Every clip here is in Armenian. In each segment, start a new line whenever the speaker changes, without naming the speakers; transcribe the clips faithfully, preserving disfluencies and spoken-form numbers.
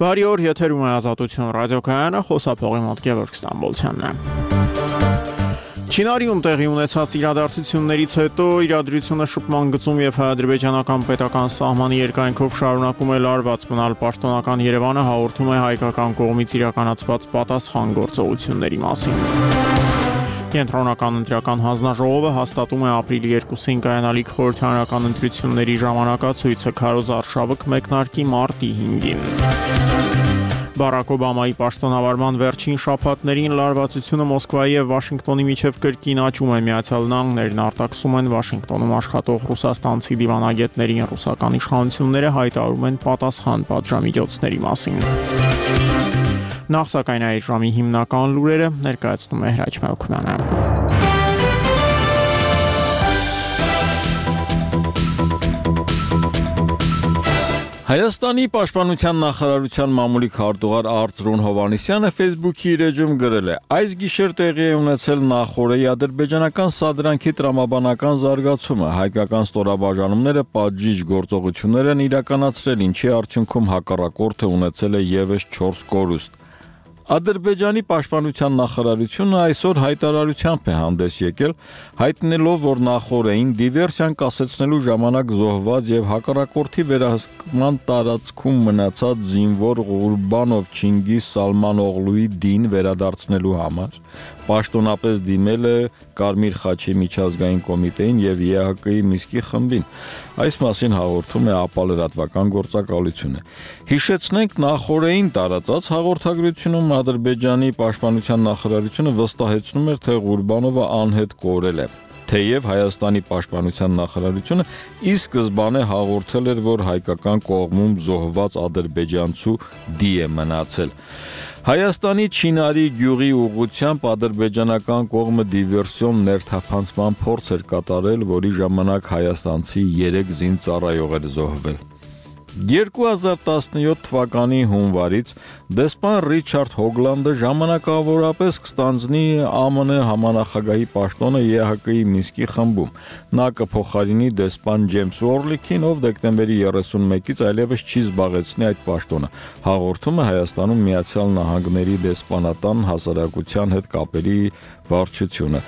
Բարի օր, եթերում է Ազատություն ռադիոկայանը, խոսափողի մոտ Գևորգ Ստամբոլցյանն է։ Չինարիում տեղի ունեցած իրադարձություններից հետո իրադրությունը շփման գծում եւ հայ-ադրբեջանական պետական սահմանի երկայնքով շարունակում է լարված մնալ պաշտոնական Երևանը հաղորդում է հայկական կողմից իրականացված պատասխան գործողությունների մասին։ Կենտրոնական ընտրական հանձնաժողովը հաստատում է ապրիլի երկուսին կայանալիք խորհրդարանական ընտրությունների ժամանակացույցը քարոզ արշավը կմեկնարկի մարտի հինգին։ Բարակ Օբամայի պաշտոնավարման վերջին շաբաթներին լարվածությունը Մոսկվայի եւ Վաշինգտոնի միջև կրկին աճում է։ Միացյալ Նահանգներն արտաքսում են Վաշինգտոնում աշխատող ռուսաստանցի դիվանագետներին ռուսական իշխանությունները հայտարարում են պատասխան պատժամիջոցների մասին։ Նախ սակայն այդ ժամի հիմնական լուրերը ներկայացնում է Հրաչ Մելքոնյանը։
Հայաստանի պաշտպանության նախարարության մամուլի քարտուղար Արծրուն Հովհաննիսյանը Facebook-ի իր էջում գրել է. «Այս գիշեր տեղի է ունեցել նախօրեի ադրբեջանական սադրանքի տրամաբանական զարգացումը, հայկական ստորաբաժանումները պատժիչ գործողություններ են իրականացրել, ինչի արդյունքում հակառակորդը ունեցել է ևս չորս կորուստ։ Ադրբեջանի պաշտպանության նախարարությունը այսօր հայտարարությամբ է հանդես եկել, հայտնելով, որ նախօրեին դիվերսիան կասեցնելու ժամանակ զոհված եւ հակառակորդի վերահսկման տարածքում մնացած զինվոր Ղուրբանով Չինգիզ Սալմանօղլուի դին վերադարձնելու համար պաշտոնապես դիմել է Կարմիր խաչի միջազգային կոմիտեին եւ ԵՀԿ-ի Միսկի խմբին։ Այս մասին հաղորդում է ԱՊԱ լրատվական գործակալությունը։ Հիշեցնենք, նախօրեին տարածած հաղորդագրությունում Ադրբեջանի պաշտպանության նախարարությունը վստահեցնում էր, թե Ղուրբանովը անհետ կորել է։ Թեև Հայաստանի պաշտպանության նախարարությունը ի սկզբանե հաղորդել էր, որ հայկական կողմում զոհված ադրբեջանցու դի է մնացել։ Հայաստանի Չինարի գյուղի ուղղությամբ ադրբեջանական կողմը դիվերսիոն ներթափանցման փորձ էր կատարել, որի ժամանակ հայաստանցի երեք զինծառայող էր զոհվել։ երկու հազար տասնյոթ թվականի հունվարից դեսպան Ռիչարդ Հոգլանդը ժամանակավորապես կստանձնի ԱՄՆ համանախագահի պաշտոնը ԵՀԿ-ի Միսկի խմբում։ Նա կփոխարինի դեսպան Ջեյմս Օրլիքին, ով դեկտեմբերի երեսունմեկից այլևս չի զբաղեցնի այդ պաշտոնը։ Հաղորդում է Հայաստանում Միացյալ Նահանգների դեսպանատան հասարակության հետ կապերի վարչությունը։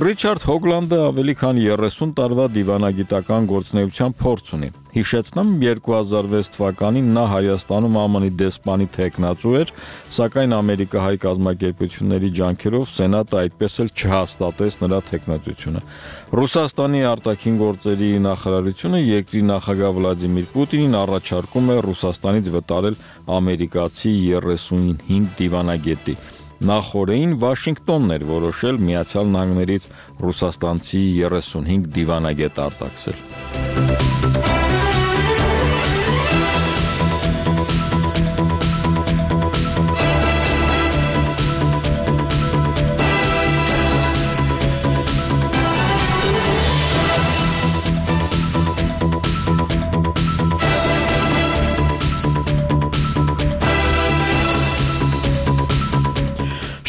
Ռիչարդ Հոգլանդը ավելի քան երեսուն տարվա դիվանագիտական գործունեության փորձ ունի։ Հիշեցնեմ, երկու հազար վեց թվականին նա Հայաստանում ԱՄՆ-ի դեսպանի թեկնածու էր, սակայն ամերիկահայ կազմակերպությունների ջանքերով Սենատը այդպես էլ չհաստատեց նրա թեկնածությունը։ Ռուսաստանի արտաքին գործերի նախարարությունը երկրի նախագահ Վլադիմիր Պուտինին առաջարկում է Ռուսաստանից վտարել ամերիկացի երեսունհինգ դիվանագետի։ Նախօրեին Վաշինգտոնն էր որոշել Միացյալ Նահանգներից ռուսաստանցի երեսունհինգ դիվանագետ արտաքսել։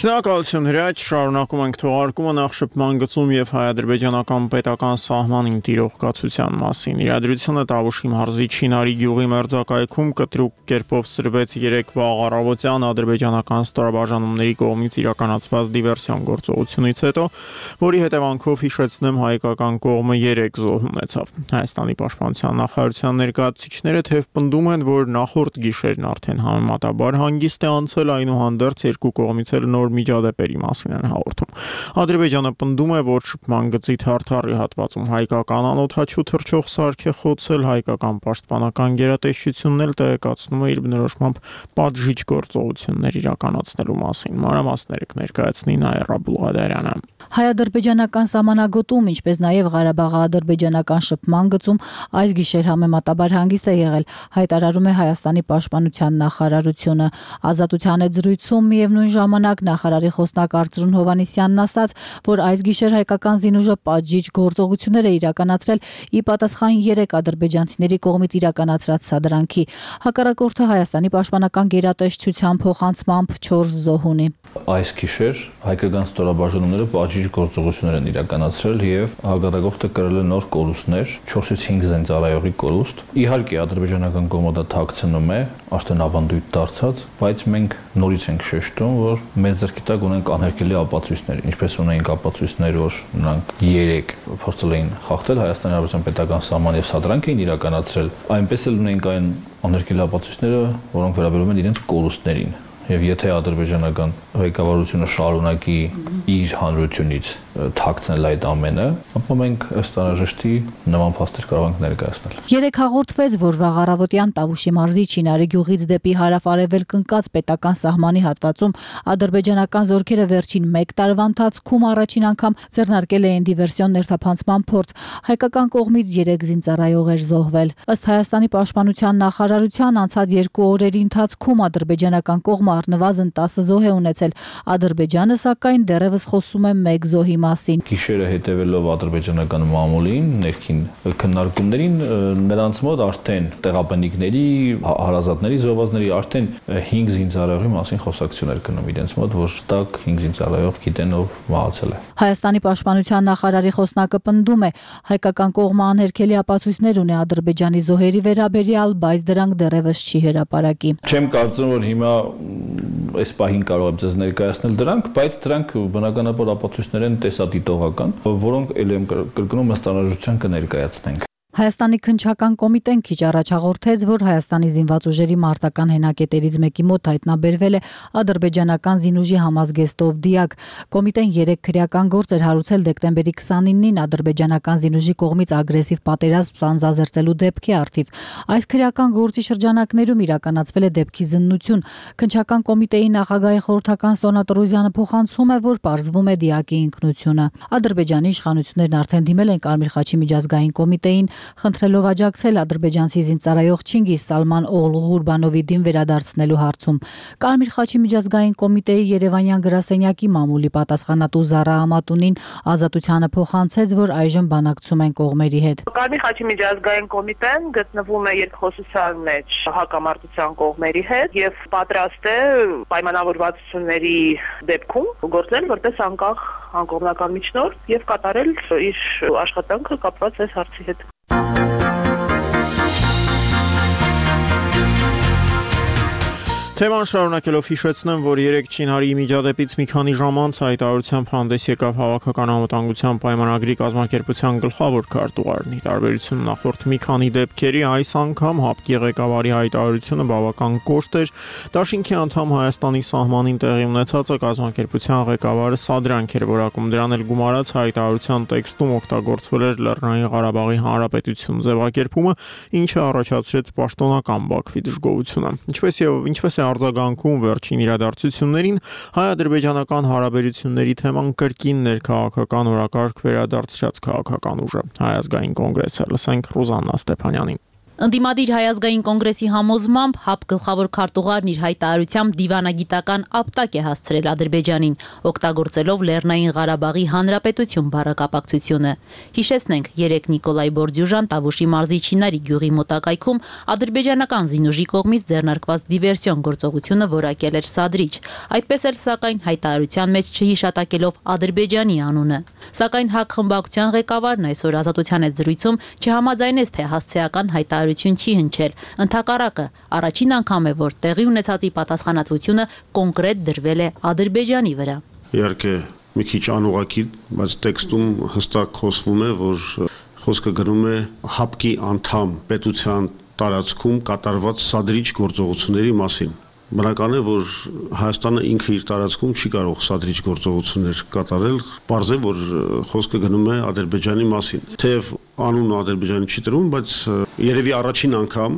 Շնորհակալություն Հրաչ, շարունակում ենք թողարկումը նախ շփման գծում եւ հայ-ադրբեջանական պետական սահմանին տիրող կացության մասին։ Իրադրությունը Տավուշի մարզի Չինարի գյուղի մերձակայքում կտրուկ կերպով սրվեց երեկվա առավոտյան ադրբեջանական ստորաբաժանումների կողմից իրականացված դիվերսիոն գործողությունից հետո, որի հետևանքով հիշեցնեմ հայկական կողմը երեք զոհ ունեցավ։ Հայաստանի պաշտպանության նախարարության ներկայացուցիչները թեև պնդում են, որ նախորդ գիշերն արդեն համեմատաբար հանգիստ է անցել, այնուհանդերձ երկու կողմից էլ նոր միջադեպերի մասին են հաղորդում։ Ադրբեջանը պնդում է, որ շփման գծի թարթարի հատվածում հայկական անօդաչու թռչող սարք է խոցել, հայկական պաշտպանական գերատեսչությունն էլ տեղեկացնում է իր բնորոշմամբ պատժիչ գործողություններ իրականացնելու մասին։ Մանրամասները կներկայացնի Նաիրա Բուլղադարյանը։
Հայ-ադրբեջանական սահմանագոտում, ինչպես նաև Ղարաբաղի-ադրբեջանական շփման գծում այս գիշեր համեմատաբար հանգիստ է եղել, հայտարարում է Հայաստանի պաշտպանության նախարարությունը։ Ազատության հետ զրույցում միևնույն ժամանակ նախ նախարարի խոսնակ Արծրուն Հովհաննիսյանն ասաց, որ այս գիշեր հայկական զինուժը պատժիչ գործողություններ է իրականացրել ի պատասխան երեք ադրբեջանցիների կողմից իրականացրած սադրանքի։ Հակառակորդը Հայաստանի պաշտպանական գերատեսչության փոխանցմամբ չորս զոհ ունի։
Այս գիշեր հայկական ստորաբաժանումները պատժիչ գործողություններ են իրականացրել եւ հակառակորդը կրել է նոր կորուստներ, չորսից հինգ զինծառայողի կորուստ։ Իհարկե ադրբեջանական կողմը դա թաքցնում է, արդեն ավանդույթ դարձած, բայց մենք նորից ենք շեշտում, որ մեր ձեռքի տակ ունենք անհերքելի ապացույցներ, ինչպես ունենք ապացույցներ, որ նրանք երեք փորձել էին խախտել Հայաստանի Հանրապետության պետական սահման եւ սադրանք էին իրականացրել, այնպես էլ ունենք այն անհերքելի ապացույցները, որոնք վերաբերում են իրենց կորուստներին։ Եվ եթե ադրբեջանական ղեկավարությունը շարունակի իր հանրությունից թաքցնել այդ ամենը, ապա մենք ըստ անհրաժեշտի նման փաստեր կարող ենք ներկայացնել։
Երեք հաղորդվեց, որ վաղ առավոտյան Տավուշի մարզի Չինարի գյուղից դեպի հարավ-արևելք ընկած պետական սահմանի հատվածում ադրբեջանական զորքերը վերջին մեկ տարվա ընթացքում առաջին անգամ ձեռնարկել էին դիվերսիոն ներթափանցման փորձ։ Հայկական կողմից երեք զինծառայող էր զոհվել։ Ըստ Հայաստանի պաշտպանության նախարարության անցած երկու օրերի ընթացքում ադրբեջանական կողմը առնվազն տասը զոհ է ունեցել։ Ադրբեջանը սակայն դեռևս խոսում է մեկ զոհի մասին։
Գիշերը հետևելով ադրբեջանական մամուլին, ներքին քննարկումներին, նրանց մոտ արդեն տեղաբնիկների, հարազատների, զոհվածների արդեն հինգ զինծառայողի մասին խոսակցություն էր գնում իրենց մոտ, որ տակ հինգ զինծառայող գիտեն ով մահացել է։
Հայաստանի պաշտպանության նախարարի խոսնակը պնդում է, հայկական կողմը անհերքելի ապացույցներ ունի Ադրբեջանի զոհերի վերաբերյալ, բայց դրանք դեռևս չի հրապարակի։
Չեմ կարծում, որ հիմա այս պահին կարող եմ ձեզ ներկայացնել դրանք, բայց դրանք բնականաբար ապացույցներ են տեսադիտողական, որոնք ել եմ կրկնում ըստ անհրաժեշտության կներկայացնենք։
Հայաստանի քննչական կոմիտեն քիչ առաջ հաղորդեց, որ Հայաստանի զինված ուժերի մարտական հենակետերից մեկի մոտ հայտնաբերվել է ադրբեջանական զինուժի համազգեստով դիակ։ Կոմիտեն երեք քրեական գործ էր հարուցել դեկտեմբերի քսանինին ադրբեջանական զինուժի կողմից ագրեսիվ պատերազմ սանձազերծելու դեպքի առթիվ։ Այս քրեական գործի շրջանակներում իրականացվել է դեպքի զննություն։ Քննչական կոմիտեի նախագահի խորհրդական Սոնա Տրոզյանը փոխանցում է, որ պարզվում է դիակի ինքնությունը։ Ադրբեջանի իշխանություններն արդեն դիմել են Կարմիր խաչի միջազգային կոմիտեին, խնդրելով աջակցել ադրբեջանցի զինծառայող Չինգիզ Սալման Օղլու Ղուրբանովի դին վերադարձնելու հարցում։ Կարմիր խաչի միջազգային կոմիտեի Երևանյան գրասենյակի մամուլի պատասխանատու Զարա Ամատունին Ազատությանը փոխանցեց, որ այժմ բանակցում են կողմերի հետ։
Կարմիր խաչի միջազգային կոմիտեն գտնվում է երկխոսության մեջ հակամարտության կողմերի հետ եւ պատրաստ է պայմանավորվածությունների դեպքում գործել որպես անկախ անկողմնական միջնորդ եւ կատարել իր աշխատանքը կապված այս հարցի հետ։
Թեման շարունակելով հիշեցնեմ, որ երեք Չինարի միջադեպից մի քանի ժամ անց հայտարարությամբ հանդես եկավ Հավաքական անվտանգության պայմանագրի կազմակերպության գլխավոր քարտուղարն։ Ի տարբերություն նախորդ մի քանի դեպքերի, այս անգամ ՀԱՊԿ-ի ղեկավարի հայտարարությունը բավական կոշտ էր։ Դաշինքի անդամ Հայաստանի սահմանին տեղի ունեցածը կազմակերպության ղեկավարը սադրանք էր որակում, դրան էլ գումարած հայտարարության տեքստում օգտագործվել էր Լեռնային Ղարաբաղի Հանրապետություն ձևակերպումը, ինչը առաջացրեց պաշտոնական Բաքվի դժգոհությունը։ Ինչպես եւ ինչպես է արձագանքում վերջին իրադարձություններին, հայ-ադրբեջանական հարաբերությունների թեման կրկին ներքաղաքական օրակարգ վերադարձրած քաղաքական ուժը։ Հայ ազգային կոնգրեսը, լսենք Ռուզաննա Ստեփանյանին։
Ընդդիմադիր հայազգային կոնգրեսի համոզմամբ ՀԱՊԿ գլխավոր քարտուղարն իր հայտարարությամբ դիվանագիտական ապտակ է հասցրել Ադրբեջանին, օգտագործելով Լեռնային Ղարաբաղի Հանրապետություն բառակապակցությունը։ Հիշեցնենք, երեք Նիկոլայ Բորդյուժան Տավուշի մարզի Չինարի գյուղի մոտակայքում ադրբեջանական զինուժի կողմից ձեռնարկված դիվերսիոն գործողությունը որակել էր սադրիչ, այդպես էլ սակայն հայտարարության մեջ չհիշատակելով Ադրբեջանի անունը։ Սակայն ՀԱԿ խմբակցության ղեկավարն այսօր Ազատության հետ զրույցում չհամաձայնեց, թե հասցեական հայտարարություն չի հնչել։ Ընդհակառակը, առաջին անգամ է, որ տեղի ունեցածի պատասխանատվությունը կոնկրետ դրվել է Ադրբեջանի վրա։
Իհարկե, մի քիչ անուղղակի, բայց տեքստում հստակ խոսվում է, որ խոսքը գրում է ՀԱՊԿ-ի անդամ պետության տարածքում կատարված սադրիչ գործողությունների մասին։ Բնական է, որ Հայաստանը ինքը իր տարածքում չի կարող սադրիչ գործողություններ կատարել, պարզ է, որ խոսքը գնում է Ադրբեջանի մասին։ Թեև անունը Ադրբեջանի չի տրվում, բայց երևի առաջին անգամ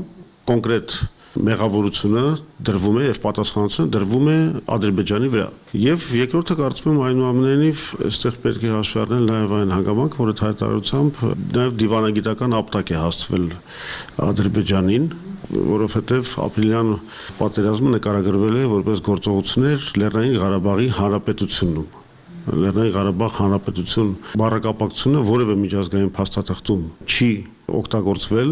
կոնկրետ մեղավորությունը դրվում է եւ պատասխանատվությունը դրվում է Ադրբեջանի վրա։ Եվ երկրորդը կարծում եմ այնուամենայնիվ այստեղ պետք է հաշվի առնել նաեւ այն հանգամանքը, որ հայտարարությամբ նաեւ դիվանագիտական ապտակ է հասցվել Ադրբեջանին, որովհետև ապրիլյան պատերազմը նկարագրվել է որպես գործողություններ Լեռնային Ղարաբաղի Հանրապետությունում։ Լեռնային Ղարաբաղ Հանրապետություն բառակապակցությունը որևէ միջազգային փաստաթղթում չի օգտագործվել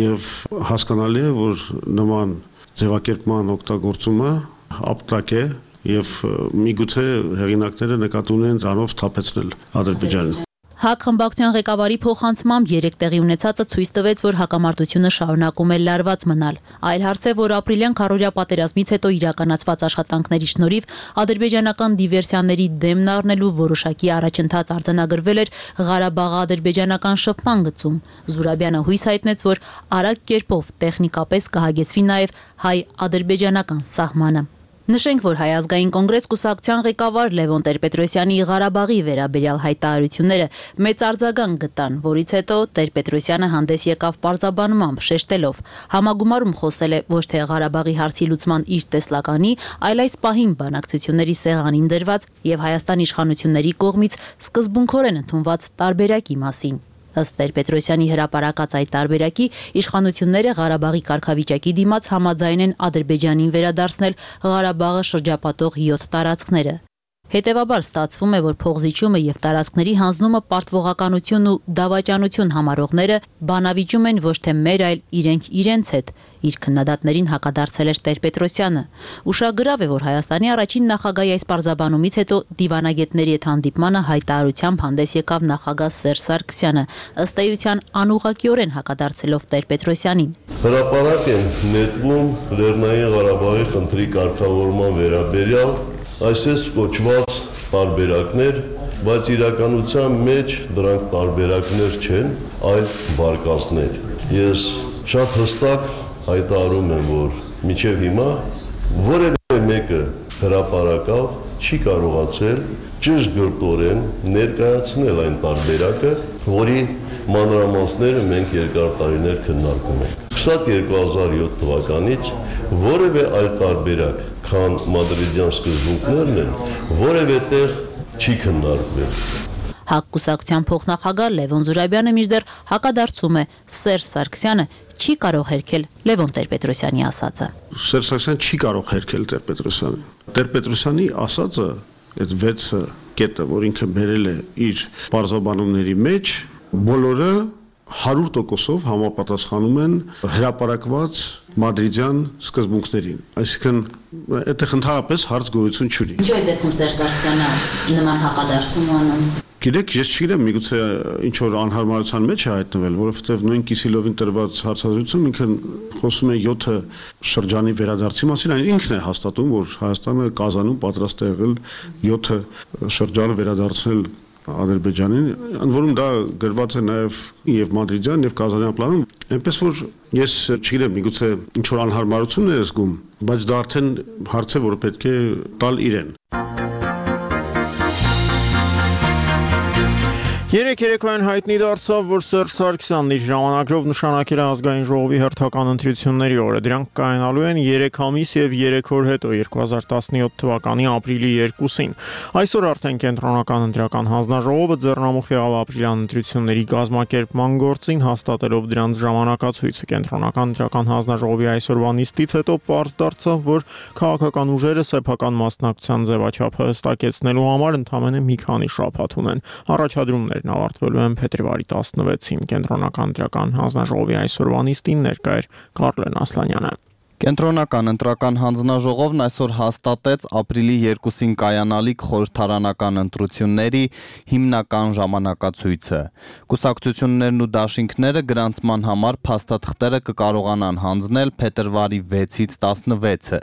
եւ հասկանալի է, որ նման ձևակերպման օգտագործումը ապտակ է եւ միգուցե հեղինակները նկատի ունեն դրանով թափեցնել Ադրբեջանին։
ՀԱԿ խմբակցության ղեկավարի փոխանցմամբ երեք տեղի ունեցածը ցույց տվեց, որ հակամարտությունը շարունակում է լարված մնալ։ Այլ հարց է, որ ապրիլյան քառօրյա պատերազմից հետո իրականացված աշխատանքների շնորհիվ ադրբեջանական դիվերսիաների դեմն առնելու որոշակի առաջընթաց արձանագրվել էր Ղարաբաղ-ադրբեջանական շփման գծում։ Զուրաբյանը հույս հայտնեց, որ արագ կերպով տեխնիկապես կհագեցվի նաև հայ-ադրբեջանական սահմանը։ Նշենք, որ Հայ ազգային կոնգրես կուսակցության ղեկավար Լևոն Տեր-Պետրոսյանի Ղարաբաղի վերաբերյալ հայտարարությունները մեծ արձագանք գտան, որից հետո Տեր-Պետրոսյանը հանդես եկավ պարզաբանմամբ, շեշտելով. համագումարում խոսել է ոչ թե Ղարաբաղի հարցի լուծման իր տեսլականի, այլ այս պահին բանակցությունների սեղանին դրված եւ Հայաստան իշխանությունների կողմից սկզբունքորեն ընդունված տարբերակի մասին։ Ըստ Տեր-Պետրոսյանի հրապարակած այդ տարբերակի իշխանությունները Ղարաբաղի կարգավիճակի դիմաց համաձայն են Ադրբեջանին վերադարձնել Ղարաբաղը շրջապատող յոթ տարածքները։ Հետևաբար ստացվում է, որ փողզիջումը եւ տարածքների հանձնումը պարտվողականություն ու դավաճանություն համարողները բանավիճում են ոչ թե մեր, այլ իրենք իրենց հետ։ Իր քննադատներին հակադարձել էր Տեր-Պետրոսյանը։ Ուշագրավ է, որ Հայաստանի առաջին նախագահի այս պարզաբանումից հետո դիվանագետների հետ հանդիպմանը հայտարարությամբ հանդես եկավ նախագահ Սերժ Սարգսյանը, ըստ էության անուղղակիորեն հակադարձելով Տեր-Պետրոսյանին։
Հրապարակ են նետվում Լեռնային Ղարաբաղի խնդրի կարգավորման վերաբերյալ այսպես կոչված տարբերակներ, բայց իրականության մեջ դրանք տարբերակներ չեն, այլ վարկածներ։ Ես շատ հստակ հայտարարում եմ, որ մինչև հիմա որևէ մեկը հրապարակավ չի կարողացել ճշգրտորեն ներկայացնել այն տարբերակը, որի մանրամասները մենք երկար տարիներ քննարկում ենք։ երկու հազար յոթ թվականից որևէ այլ տարբերակ, քան մադրիդյան սկզբունքներն են, որևէ տեղ չի քննարկվել։
ՀԱԿ կուսակցության փոխնախագահ Լևոն Զուրաբյանը մինչդեռ հակադարձում է Սերժ Սարգսյանը չի կարող հերքել Լևոն Տեր-Պետրոսյանի ասածը։
Սերժ Սարգսյանը չի կարող հերքել Տեր-Պետրոսյանին։ Տեր-Պետրոսյանի ասածը, այդ վեց կետը, որ ինքը բերել է իր պարզաբանումների մեջ, բոլորը հարյուր տոկոսով համապատասխանում են հրապարակված մադրիդյան սկզբունքներին։ Այսինքն այդտեղ ընդհանրապես հարց գոյություն չունի։
Ինչու է դեպքում Սերժ Սարգսյանը նման հակադարձում անում։
Գիտեք, ես չգիտեմ, միգուցե ինչ որ անհարմարության մեջ է հայտնվել, որովհետև նույն Կիսիլովին տրված հարցազրույցում ինքը խոսում է յոթ շրջանի վերադարձի մասին, այն ինքն է հաստատում, որ Հայաստանը Կազանում պատրաստ է եղել յոթ շրջանը վերադարձնել Ադրբեջանին, ընդ որում դա գրված է նաև եւ մադրիդյան եւ կազանյան պլանում, այնպես որ ես չգիտեմ, միգուցե ինչ որ անհարմարություն է զգում, բայց դա արդեն հարց է, որ պետք է տալ իրեն։
Երեք երեկոյան հայտնի դարձավ, որ Սերժ Սարգսյանն իր ժամանակով նշանակել է ազգային ժողովի հերթական ընտրությունների օրը։ Դրանք կայանալու են երեք ամիս եւ երեք օր հետո երկու հազար տասնյոթ թվականի ապրիլի երկուսին։ Այսօր արդեն կենտրոնական ընտրական հանձնաժողովը ձեռնամուխ եղավ ապրիլյան ընտրությունների կազմակերպման գործին, հաստատելով դրանց ժամանակացույցը։ Կենտրոնական ընտրական հանձնաժողովի այսօրվա նիստից հետո պարզ դարձավ, որ քաղաքական ուժերը սեփական մասնակցության ձևաչափը հստակեցնելու համար ընդամենը մի քանի շաբաթ ունեն։ Առաջադրումներ ավարտվելու են փետրվարի տասնվեցին։ Կենտրոնական ընտրական հանձնաժողովի այսօրվա նիստին ներկա էր Կարլեն Ասլանյանը։
Կենտրոնական ընտրական հանձնաժողովն այսօր հաստատեց ապրիլի երկուսին կայանալիք խորհրդարանական ընտրությունների հիմնական ժամանակացույցը։ Կուսակցություններն ու դաշինքները գրանցման համար փաստաթղթերը կկարողանան հանձնել փետրվարի վեցից տասնվեցը։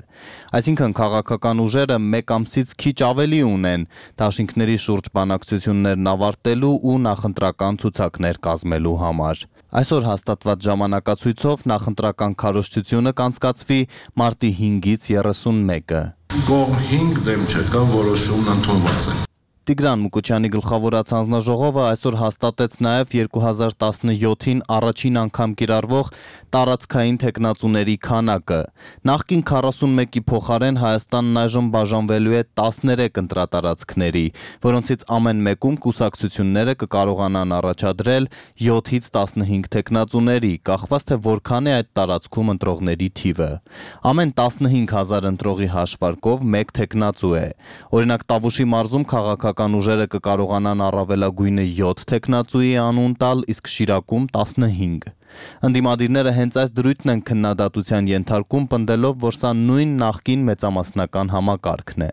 Այսինքն քաղաքական ուժերը մեկ ամսից քիչ ավելի ունեն դաշինքների շուրջ բանակցություններն ավարտելու ու նախընտրական ցուցակներ կազմելու համար։ Այսօր հաստատված ժամանակացույցով նախընտրական քարոզչությունը կանցկացվի մարտի հինգից երեսունմեկը։
Կողմ հինգ դեմ չկա, որոշումն ընդունված է։
Տիգրան Մուկուչյանի գլխավորած հանձնաժողովը այսօր հաստատեց նաև երկու հազար տասնյոթին առաջին անգամ կիրառվող տարածքային թեկնածուների քանակը։ Նախկին քառասունմեկի փոխարեն Հայաստանն այժմ բաժանվելու է տասներեք ընտրատարածքների, որոնցից ամեն մեկում կուսակցությունները կկարողանան առաջադրել յոթից տասնհինգ թեկնածուների, կախված թե որքան է այդ տարածքում ընտրողների թիվը։ Ամեն տասնհինգ հազար ընտրողի հաշվարկով մեկ թեկնածու է։ Օրինակ Տավուշի մարզում քաղաքական ուժերը կկարողանան առավելագույնը յոթ թեկնածուի անուն տալ, իսկ Շիրակում տասնհինգ։ Ընդդիմադիրները հենց այս դրույթն են քննադատության ենթարկում, պնդելով, որ սա նույն նախկին մեծամասնական համակարգն է։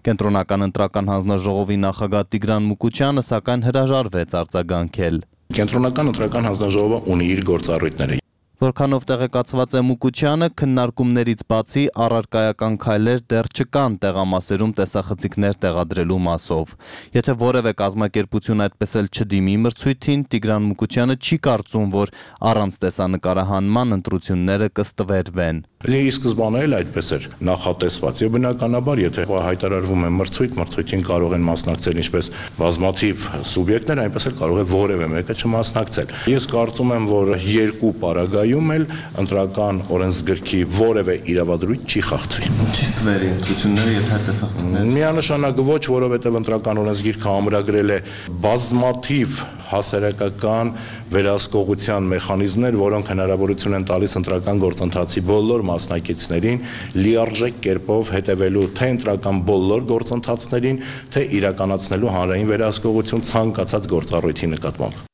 Կենտրոնական ընտրական հանձնաժողովի նախագահ Տիգրան Մուկուչյանը սակայն հրաժարվեց արձագանքել։
Կենտրոնական ընտրական հանձնաժողովը ունի իր գործառույթները։
Որքանով տեղեկացված է Մուկուչյանը, քննարկումներից բացի առարկայական քայլեր դեռ չկան տեղամասերում տեսախցիկներ տեղադրելու մասով։ Եթե որևէ կազմակերպություն այդպես էլ չդիմի մրցույթին, Տիգրան Մուկուչյանը չի կարծում, որ առանց տեսանկարահանման ընտրությունները կստվերվեն։
Ի սկզբանե էլ այդպես էր նախատեսված, եւ բնականաբար, եթե հայտարարվում է մրցույթ, մրցույթին կարող են մասնակցել ինչպես բազմաթիվ սուբյեկտներ, այնպես էլ կարող է որևէ մեկը չմասնակցել։ Ես կարծում եմ, որ երկու պարագայում էլ ընտրական օրենսգրքի որևէ իրավադրույթ չի խախտվի։
Չի ստվերի ընտրությունները, եթե տեսախցիկներ։
Միանշանակ ոչ, որովհետեւ ընտրական օրենսգիրքը ամրագրել է բազմաթիվ հասարակական վերահսկողության մեխանիզմներ, որոնք հնարավորություն են տալիս ընտրական գործընթացի բոլոր մասնակիցներին լիարժեք կերպով հետևելու թե ընտրական բոլոր գործընթացներին, թե իրականացնելու հանրային վերահսկողություն ցանկացած գործառույթի նկատմամբ։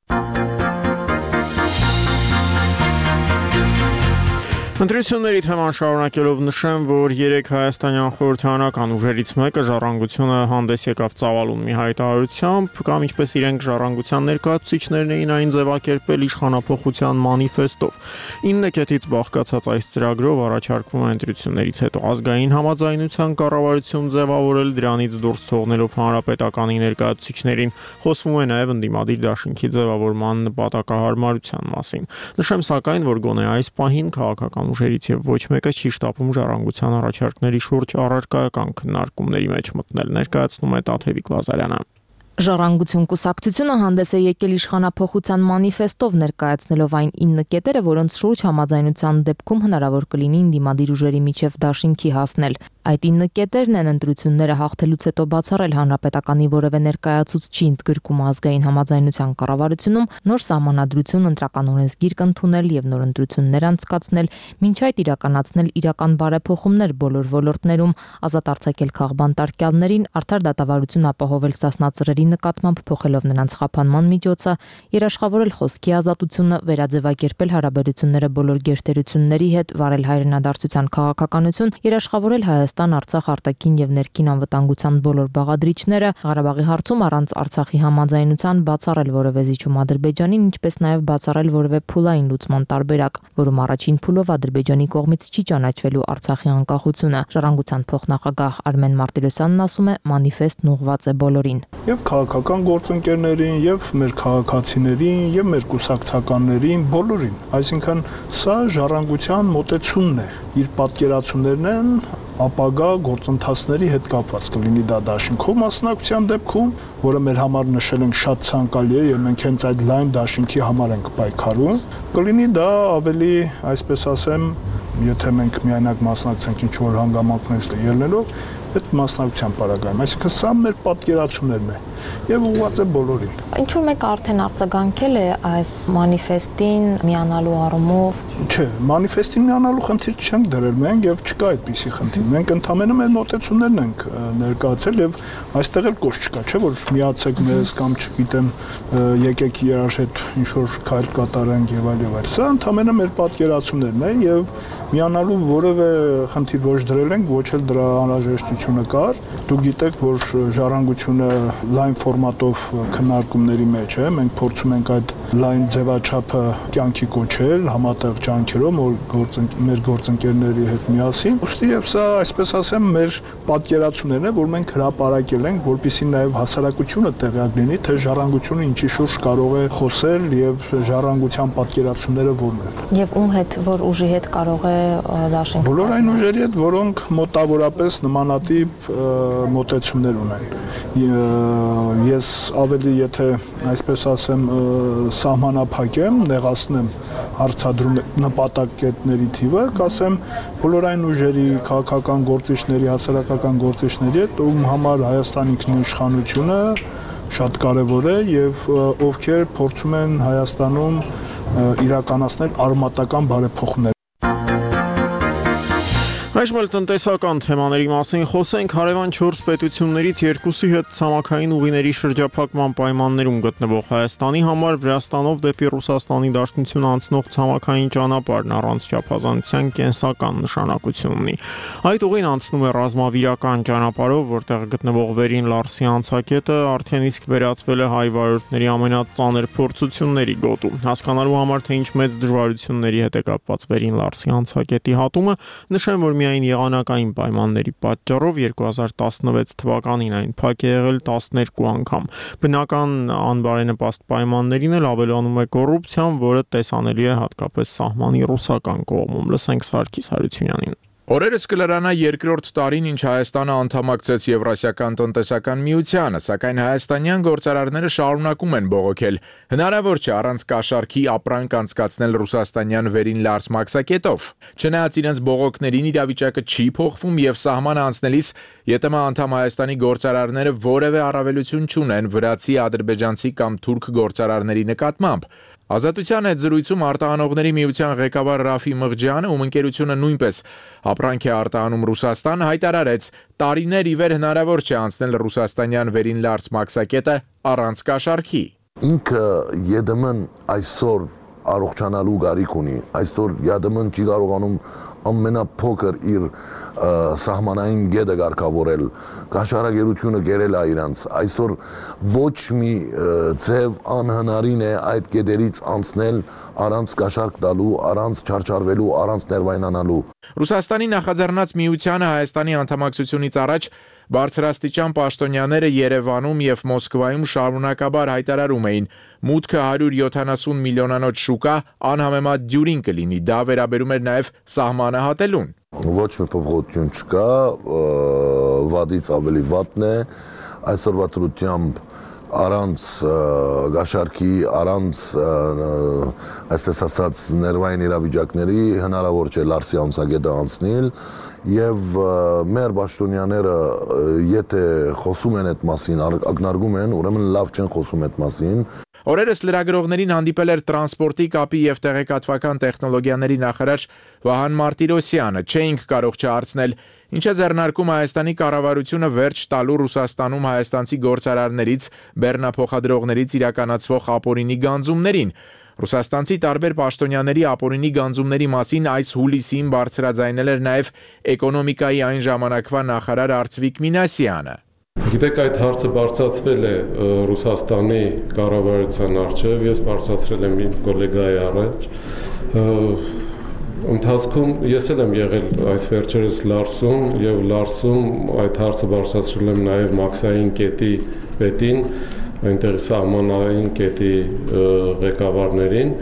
Ընտրությունների թեման շարունակելով նշեմ, որ երեք հայաստանյան խորհրդարանական ուժերից մեկը ժառանգությունը հանդես եկավ ծավալուն մի հայտարարությամբ, կամ ինչպես իրենք ժառանգության ներկայացուցիչներն էին այն ձևակերպել իշխանափոխության մանիֆեստով։ ինը կետից բաղկացած այս ծրագրով առաջարկվում է ընտրություններից հետո ազգային համաձայնության կառավարություն ձևավորել, դրանից դուրս թողնելով հանրապետականի ներկայացուցիչներին, խոսվում է նաև ընդդիմադիր դաշինքի ձևավորման նպատակահարմարության մասին։ Նշեմ սակայն, որ գոնե այս պահին քաղաքական ուժերից եւ ոչ մեկը չի շտապում ժառանգության առաջարկների շուրջ առարկայական քննարկումների մեջ մտնել, ներկայացնում է Տաթևիկ Լազարյանը։
Ժառանգություն կուսակցությունը հանդես է եկել իշխանափոխության մանիֆեստով, ներկայացնելով այն ինը կետերը, որոնց շուրջ համաձայնության դեպքում հնարավոր կլինի ընդդիմադիր ուժերի միջև դաշինքի հասնել։ Այդ ինը կետերն են ընտրությունները հաղթելուց հետո բացառել հանրապետականի որևէ ներկայացուցչի ընդգրկումը ազգային համաձայնության կառավարությունում, նոր սահմանադրություն ընտրական օրենսգիր կընդունել եւ նոր ընտրություններ անցկացնել, մինչ այդ իրականացնել իրական բարեփոխումներ բոլոր ոլորտներում, ազատ արձակել քաղբանտարկյալներին, արդար դատավարություն ապահովել սասնածրերի նկատմամբ փոխելով նրանց խափանման միջոցը, երաշխավորել խոսքի ազատությունը, վերաձևակերպել հարաբերությունները բոլոր գերտերությունների հետ, վարել հայրենադարձության քաղաքականություն, երաշխավորել Հայաստան, Արցախ արտաքին եւ ներքին անվտանգության բոլոր բաղադրիչները, Ղարաբաղի հարցում առանց Արցախի համաձայնության բացառել որևէ զիջում Ադրբեջանին, ինչպես նաեւ բացառել որևէ փուլային լուծման տարբերակ, որում առաջին փուլով Ադրբեջանի կողմից չի ճանաչվելու Արցախի անկախությունը։ Ժառանգության փոխնախագահ Արմեն Մարտիրոսյանն ասում է, մանիֆեստն ուղղված է բոլորին։
Եվ քաղաքական գործընկերներին, եւ մեր քաղաքացիներին, եւ մեր կուսակցականներին, բոլորին։ Այսինքն սա ժառանգության մոտեցումն է, իր պատկերացումներն են ապագա գործընթացների հետ կապված, կլինի դա դաշինքով մասնակցության դեպքում, որը մեր համար նշել ենք շատ ցանկալի է եւ մենք հենց այդ լայն դաշինքի համար ենք պայքարում, կլինի դա ավելի, այսպես ասեմ, եթե մենք միայնակ մասնակցենք ինչ որ հանգամանքներից ելնելով, այդ մասնակցության պարագայում, այսինքն սա մեր պատկերացումներն է եւ ուղղված է բոլորին։
Ինչու մեկ արդեն արձագանքել է այս մանիֆեստին միանալու առումով։
Չէ, մանիֆեստին միանալու խնդիր չենք դրել մենք եւ չկա այդպիսի խնդիր։ Մենք ընդհանրապես մեր մոտեցումներն ենք ներկայացել եւ այստեղ էլ կոչ չկա, չէ՞ որ միացեք մեզ կամ չգիտեմ եկեք իրար հետ ինչ որ քայլ կատարենք եւ այլ եւ այլ։ Սա ընդհանրապես մեր պատկերացումներն են եւ միանալու որևէ խնդիր ոչ դրել ենք, ոչ էլ դրա անհրաժեշտությունը կար։ Դուք գիտեք, որ ժառանգությունը լայն ֆորմատով քննարկումների մեջ է, մենք փորձում ենք այդ լայն ձևաչափը կյանքի կոչել համատեղ ջանքերով մեր գործընկերների հետ միասին։ Ուստի եւ սա, այսպես ասեմ, մեր պատկերացումներն է, որ մենք հրապարակել ենք, որպեսզի նաեւ հասարակությունը տեղյակ լինի, թե ժառանգությունը ինչի շուրջ կարող է խոսել եւ ժառանգության պատկերացումները որն են։
Եվ ում հետ, որ ուժի հետ կարող է դաշինք։
Բոլոր այն ուժերի հետ, որոնք մոտավորապես նմանատիպ մոտեցումներ ունեն։ Ես ավելի, եթե այսպես ասեմ, սահմանափակեմ, նեղացնեմ հարցադրում նպատակետների թիվը, կասեմ, բոլոր այն ուժերի, քաղաքական գործիչների, հասարակական գործիչների հետ, ում համար Հայաստանի ինքնիշխանությունը շատ կարևոր է եւ ովքեր փորձում են Հայաստանում իրականացնել արմատական բարեփոխումներ։
Այժմ էլ տնտեսական թեմաների մասին խոսենք։ Հարևան չորս պետություններից երկուսի հետ ցամաքային ուղիների շրջափակման պայմաններում գտնվող Հայաստանի համար Վրաստանով դեպի Ռուսաստանի Դաշնություն անցնող ցամաքային ճանապարհն առանց չափազանցության կենսական նշանակություն ունի։ Այդ ուղին անցնում է ռազմավիրական ճանապարհով, որտեղ գտնվող Վերին Լարսի անցակետը արդեն իսկ վերածվել է հայ վարորդների ամենածանր փորձությունների գոտու։ Հասկանալու համար, թե ինչ մեծ դժվարությունների հետ է կապված Վերին Լարսի անցակետի հատումը, նշեմ, որ միայն եղանակային պայմանների պատճառով երկու հազար տասնվեց թվականին այն փակ է եղել տասներկու անգամ։ Բնական անբարենպաստ պայմաններին էլ ավելանում է կոռուպցիան, որը տեսանելի է հատկապես սահմանի ռուսական կողմում։ Լսենք Սարգիս Հարությունյանին։
Օրերս կլրանա երկրորդ տարին, ինչ Հայաստանը անդամակցեց Եվրասիական տնտեսական միությանը, սակայն հայաստանյան գործարարները շարունակում են բողոքել։ Հնարավոր չէ առանց կաշառքի ապրանք անցկացնել ռուսաստանյան Վերին Լարս մաքսակետով։ Չնայած իրենց բողոքներին, իրավիճակը չի փոխվում եւ սահմանը անցնելիս ԵՏՄ անդամ Հայաստանի գործարարները որևէ առավելություն չունեն վրացի, ադրբեջանցի կամ թուրք գործարարների նկատմամբ։ Ազատության հետ զրույցում արտահանողների միության ղեկավար Ռաֆի Մղջյանը, ում ընկերությունը նույնպես ապրանք է արտահանում Ռուսաստան, հայտարարեց, տարիներ ի վեր հնարավոր չէ անցնել ռուսաստանյան Վերին Լարս մաքսակետը առանց կաշառքի։
Ինքը ԵԴՄ-ն այսօր առողջանալու գարիք ունի, այսօր ԵԴՄ-ն չի կարողանում ամենափոքր իր սահմանային գետը կարգավորել, կաշառակերությունը գերել է իրանց, այսօր ոչ մի ձև անհնարին է այդ գետերից անցնել առանց կաշառք տալու, առանց չարչարվելու, առանց ներվայնանալու։
Ռուսաստանի նախաձեռնած միությանը Հայաստանի անդամակցությունից առաջ բարձրաստիճան պաշտոնյաները Երևանում եւ Մոսկվայում շարունակաբար հայտարարում էին, մուտքը հարյուր յոթանասուն միլիոնանոց շուկա անհամեմատ դյուրին կլինի, դա վերաբերում էր նաեւ սահմանը հատելուն։
Ոչ մի փոփոխություն չկա, վատից ավելի վատն է, այսօրվա դրությամբ առանց գաշարքի, առանց այսպես ասած ներվային իրավիճակների հնարավոր չէ Լարսի անցագետը անցնել եւ մեր պաշտոնյաները եթե խոսում են այդ մասին, ակնարկում են, ուրեմն լավ չեն խոսում այդ մասին։
Օրերս լրագրողներին հանդիպել էր տրանսպորտի, կապի եւ տեղեկատվական տեխնոլոգիաների նախարար Վահան Մարտիրոսյանը, չէինք կարող չհարցնել, ինչ է ձեռնարկում Հայաստանի կառավարությունը վերջ տալու Ռուսաստանում հայաստանցի գործարարներից, բեռնափոխադրողներից իրականացվող ապօրինի գանձումներին։ Ռուսաստանցի տարբեր պաշտոնյաների ապօրինի գանձումների մասին այս հուլիսին բարձրաձայնել էր նաև էկոնոմիկայի այն ժամանակվա նախարար Արծվիկ Մինասյանը։
Գիտեք, այդ հարցը բարձրացվել է Ռուսաստանի կառավարության առջև, ես բարձրացրել եմ իմ գոլեգայի առաջ։ Ընթացքում ես էլ եմ եղել այս վերջերս Լարսում եւ Լարսում այդ հարցը բարձրացրել եմ նաեւ Մաքսային կետի պետին, այնտեղ սահմանային կետի ղեկավարներին։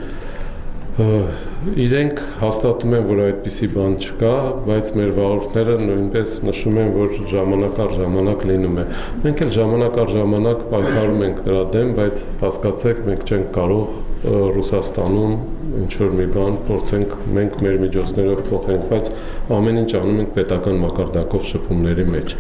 Իրենք հաստատում են, որ այդպիսի բան չկա, բայց մեր վարորդները նույնպես նշում են, որ ժամանակ առ ժամանակ լինում է։ Մենք էլ ժամանակ առ ժամանակ պայքարում ենք դրա դեմ, բայց հասկացեք, մենք չենք կարող Ռուսաստանում ինչ-որ մի բան փորձենք մենք մեր միջոցներով փոխենք, բայց ամեն ինչ անում ենք պետական մակարդակով շփումների մեջ։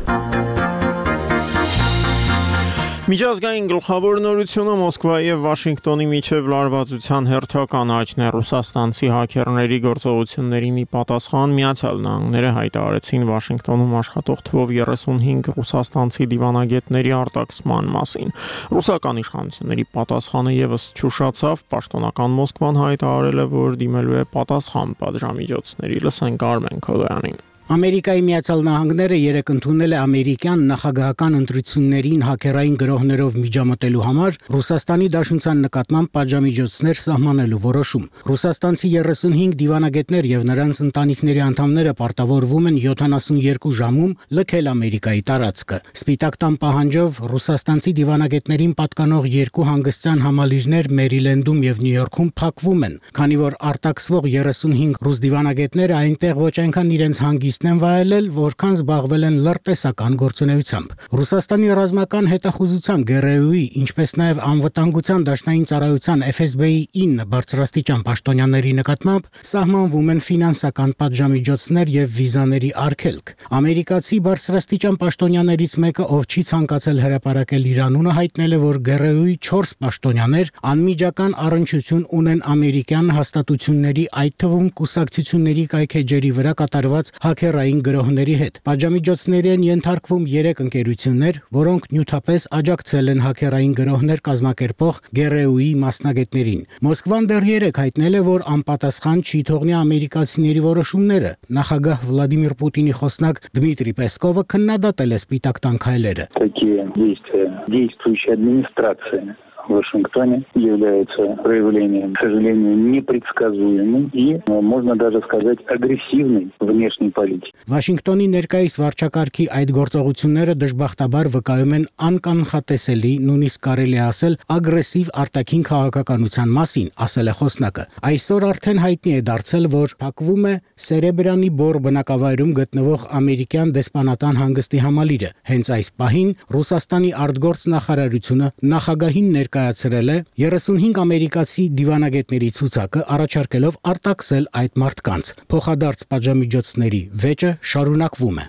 Միջազգային գլխավոր նորությունը Մոսկվայի եւ Վաշինգտոնի միջև լարվածության հերթական աճն է ռուսաստանցի հաքերների գործողություններին ի պատասխան Միացյալ Նահանգները հայտարարեցին Վաշինգտոնում աշխատող թվով երեսունհինգ ռուսաստանցի դիվանագետների արտաքսման մասին։ Ռուսական իշխանությունների պատասխանը եւս չուշացավ, պաշտոնական Մոսկվան հայտարարել է, որ դիմելու է պատասխան պատժամիջոցների։ Լսենք Արմեն Քոդոյանին։
Ամերիկայի Միացյալ Նահանգները երեկ ընդունել է ամերիկյան նախագահական ընտրություններին հակերային գրոհներով միջամտելու համար Ռուսաստանի Դաշնության նկատմամբ պատժամիջոցներ սահմանելու որոշում։ Ռուսաստանցի երեսունհինգ դիվանագետներ եւ նրանց ընտանիքների անդամները պարտավորվում են յոթանասունյոթ ժամում լքել Ամերիկայի տարածքը։ Սպիտակ տան պահանջով ռուսաստանցի դիվանագետներին պատկանող երկու հանգստյան համալիրներ Մերիլենդում եւ Նյու Յորքում փակվում են, քանի որ արտաքսվող երեսունհինգ ռուս դիվանագետները այնտեղ ոչ այնքան իրենց հանգիստն են վայելել, որքան զբաղվել են լրտեսական գործունեությամբ։ Ռուսաստանի ռազմական հետախուզության ԳՌՈ-ի, ինչպես նաև անվտանգության դաշնային ծառայության Էֆ Էս Բի-ի ինը բարձրաստիճան պաշտոնյաների նկատմամբ սահմանվում են ֆինանսական պատժամիջոցներ եւ վիզաների արգելք։ Ամերիկացի բարձրաստիճան պաշտոնյաներից մեկը, ով չի ցանկացել հրապարակել իր անունը, հայտնել է, որ ԳՌՈ-ի չորս պաշտոնյաներ անմիջական առնչություն ունեն ամերիկյան հաստատությունների, այդ թվում կուսակցությունների կայքեջերի վրա կատարված հակերային գրոհների հետ։ Պատժամիջոցների են ենթարկվում երեք ընկերություններ, որոնք նյութապես աջակցել են հակերային գրոհներ կազմակերպող ԳՌՈ-ի մասնագետներին։ Մոսկվան դեռ երեք հայտնել է, որ անպատասխան չի թողնի ամերիկացիների որոշումները։ Նախագահ Վլադիմիր Պուտինի խոսնակ Դմիտրի Պեսկովը քննադատել է Սպիտակ տան քայլերը։
Такие действия действующей администрации в Вашингтоне являются проявлением, к сожалению, непредсказуемой и, можно даже сказать, агрессивной внешней политики.
Վաշինգտոնի ներկայիս վարչակարգի այդ գործողությունները դժբախտաբար վկայում են անկանխատեսելի, նույնիսկ կարելի է ասել ագրեսիվ արտաքին քաղաքականության մասին, ասել է խոսնակը։ Այսօր արդեն հայտնի է դարձել, որ փակվում է Սերեբրյանի բոր բնակավայրում գտնվող ամերիկյան դեսպանատան հանգստի համալիրը։ Հենց այս պահին Ռուսաստանի արտգործ նախարարությունը նախագահին ներկայացրել է երեսունհինգ ամերիկացի դիվանագետների ցուցակը, առաջարկելով արտաքսել այդ մարդկանց։ Փոխադարձ պատժամիջոցների վեճը շարունակվում է։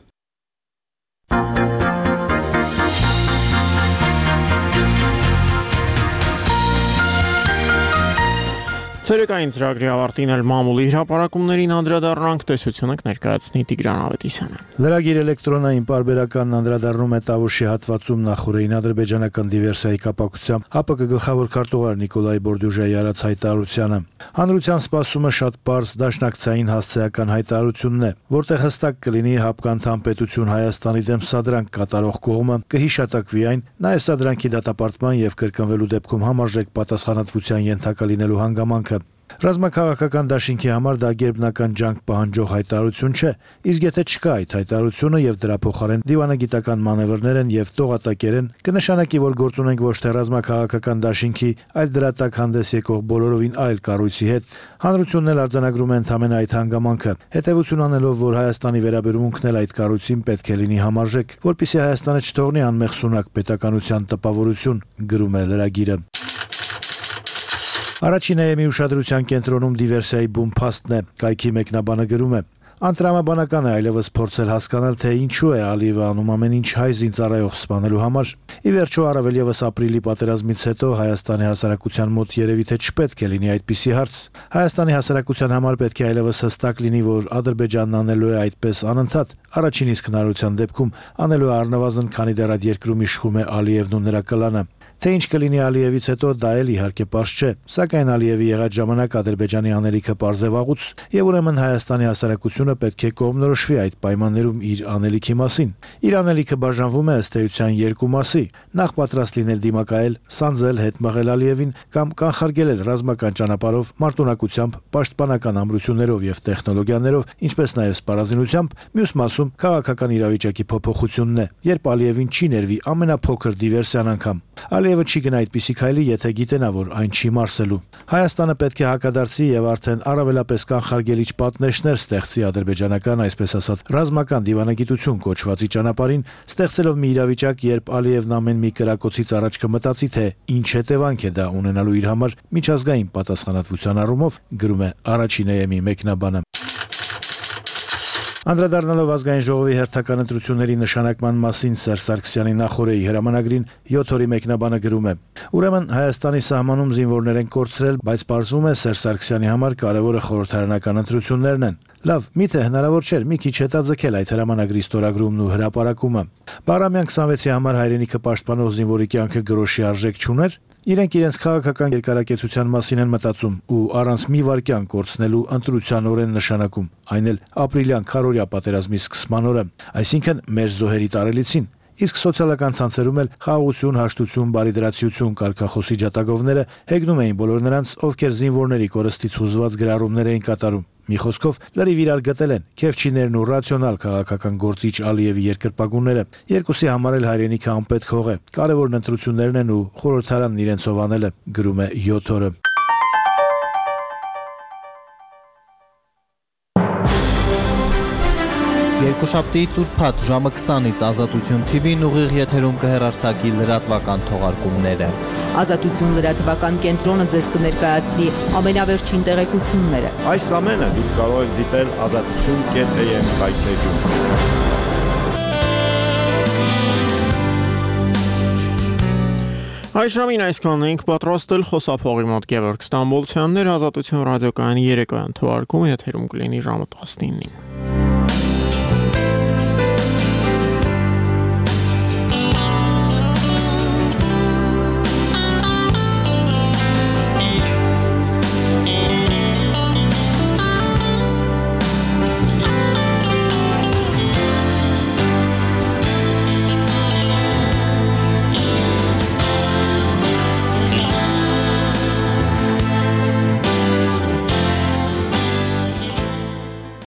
Ցերեկային ծրագրի ավարտին էլ մամուլի հրապարակումներին անդրադառնանք, տեսությունը կներկայացնի Տիգրան Ավետիսյանը։
Լրագիր էլեկտրոնային պարբերականն անդրադառնում է Տավուշի հատվածում նախորդին ադրբեջանական դիվերսիայի կապակցությամբ ՀԱՊԿ գլխավոր քարտուղար Նիկոլայ Բորդյուժայի արած հայտարարությանը։ Հանրության սպասումը շատ պարզ դաշնակցային հասցեական հայտարարությունն է, որտեղ հստակ կլինի ՀԱՊԿ անդամ պետություն Հայաստանի դեմ սադրանք կատարող կողմը կհիշատակվի այն, նաև սադրանքի դատապարտման եւ կրկնվելու դեպքում համարժեք պատասխանատվության ենթակա լինելու հանգամանքը։ Ռազմաքաղաքական դաշինքի համար դա գերբնական ջանք պահանջող հայտարարություն չէ, իսկ եթե չկա այդ հայտարարությունը եւ դրա փոխարեն դիվանագիտական մանևրներ են եւ տողատակեր են, կնշանակի, որ գործ ունենք ոչ թե ռազմաքաղաքական դաշինքի, այլ դրա տակ հանդես եկող բոլորովին այլ կառույցի հետ։ Հանրությունն էլ արձանագրում է ընդամենը այդ հանգամանքը, հետեւություն անելով, որ Հայաստանի վերաբերմունքն էլ այդ կառույցին պետք է լինի համարժեք, որպեսզի Հայաստանը չթողնի անմեղ սունակ պետականության տպավորություն, գրում է լրագիրը։ Առաջին է մի ուշադրության կենտրոնում դիվերսիայի բում փաստն է, կայքի մեկնաբանը գրում է. Անտրամաբանական է այլևս փորձել հասկանալ, թե ինչու է Ալիևը անում ամեն ինչ հայ զինծառայող սպանելու համար։ Ի վերջո, առավել ևս ապրիլի պատերազմից հետո Հայաստանի հասարակության մոտ երևի թե չպետք է լինի այդպիսի հարց։ Հայաստանի հասարակության համար պետք է այլևս հստակ լինի, որ Ադրբեջանն անելու է այդպես անընդհատ։ Առաջին իսկ հնարավորության դեպքում անելու է առնվազն, քանի դեռ այդ երկրում իշխում է Ալիևն ու նրա կլանը։ Թե ինչ կլինի Ալիևից հետո, դա էլ իհարկե պարզ չէ, սակայն Ալիևի եղած ժամանակ Ադրբեջանի անելիքը պարզ է վաղուց, եւ ուրեմն Հայաստանի հասարակությունը պետք է կողմնորոշվի այդ պայմաններում իր անելիքի մասին։ Իր անելիքը բաժանվում է ըստ էության երկու մասի՝ նախ պատրաստ լինել դիմակայել, սանձել, հետ մղել Ալիևին կամ կանխարգելել ռազմական ճանապարհով, մարտունակությամբ, պաշտպանական ամրություններով եւ տեխնոլոգիաներով, ինչպես նաեւ սպառազինությամբ, մյուս մասում քաղաքական իրավիճակի փոփոխությունն է, երբ Ալիևին չի ներվի ամենափոքր դիվերսիան անգամ։ Ալիևը չի գնա այդպիսի քայլի, եթե գիտենա, որ այն չի մարսելու։ Հայաստանը պետք է հակադարձի եւ արդեն առավելապես կանխարգելիչ պատնեշներ ստեղծի ադրբեջանական, այսպես ասած, ռազմական դիվանագիտություն կոչվածի ճանապարհին, ստեղծելով մի իրավիճակ, երբ Ալիևն ամեն մի կրակոցից առաջ կմտածի, թե ինչ հետևանք է դա ունենալու իր համար միջազգային պատասխանատվության առումով, գրում է Առաջին է մի մեկնաբանը։ Անդրադառնալով ազգային ժողովի հերթական ընտրությունների նշանակման մասին Սերժ Սարգսյանի նախորդի հրամանագրին յոթ օրի մեկնաբանը գրում է. Ուրեմն Հայաստանի սահմանում զինվորներ են կորցրել, բայց պարզվում է Սերժ Սարգսյանի համար կարևորը խորհրդարանական ընտրություններն են։ Լավ, միթե հնարավոր չէր մի քիչ հետաձգել այդ հրամանագրի ստորագրումն ու հրապարակումը։ Բարամյան քսանվեցի համար հայրենիքը պաշտպանող զինվորի կյանքը գրոշի արժեք չուներ։ Իրենք իրենց քաղաքական երկարակեցության մասին են մտածում ու առանց մի վայրկյան կորցնելու ընտրության օրեն նշանակում, այն էլ ապրիլյան քարորյա պատերազմի սկսման օրը, այսինքն մեր զոհերի տարելիցին։ Իսկ սոցիալական ցանցերում էլ խաղաղություն, հաշտություն, բարիդրացիություն կարգախոսի ջատագովները հեգնում էին բոլոր նրանց, ովքեր զինվորների կորստից հուզված գրառումներ էին կատարում։ Մի խոսքով լրիվ իրար գտել են քեֆչիներն ու ռացիոնալ քաղաքական գործիչ Ալիևի երկրպագունները։ Երկուսի համար էլ հայրենիքը անպետք հող է։ Կարևորն ընտրություններն են ու խորհրդարանն իրենցով անելը, գրում է յոթ օրը։
Երկուշաբթի ծուրփաթ ժամը քսանից Ազատություն թի վին ուղիղ եթերում կհեռարձակի լրատվական թողարկումները։
Ազատություն լրատվական կենտրոնը ձեզ կներկայացնի ամենավերջին տեղեկությունները։
Այս ամենը դուք կարող եք դիտել ազատություն կետ է եմ կայքեջում։
Այս ժամին այսքանն ենք պատրաստել խոսափողի մոտ Գևորգ Ստամբոլցյաններ, Ազատություն ռադիոկայանի երեկոյան թողարկումը եթերում կլինի ժամը տասնինին։